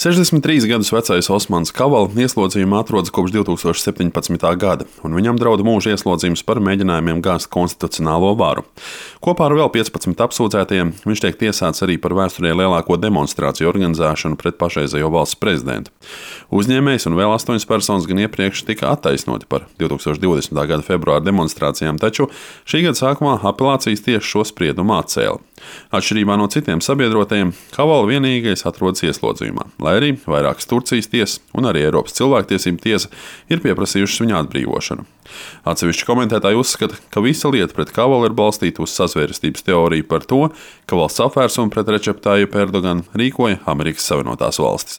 63 gadus vecais Osmans Kavala ieslodzījumā atrodas kopš 2017. gada, un viņam draud mūža ieslodzījums par mēģinājumiem gāzt konstitucionālo varu. Kopā ar vēl 15 apsūdzētajiem viņš tiek tiesāts arī par vēsturē lielāko demonstrāciju organizēšanu pret pašreizējo valsts prezidentu. Uzņēmējs un vēl 8 personas gan iepriekš tika attaisnoti par 2020. gada februāra demonstrācijām, taču šī gada sākumā apelācijas tiesa šo spriedumu atcēla. Atšķirībā no citiem sabiedrotajiem, Kavala vienīgais atrodas ieslodzījumā, lai arī vairākas Turcijas tiesas un arī Eiropas cilvēktiesību tiesa ir pieprasījušas viņa atbrīvošanu. Atsevišķi komentētāji uzskata, ka visa lieta pret Kavalu ir balstīta uz sazvērestības teoriju par to, ka valsts apvērsuma pret Redžepu Tajipu Erdoganu rīkoja Amerikas Savienotās valstis.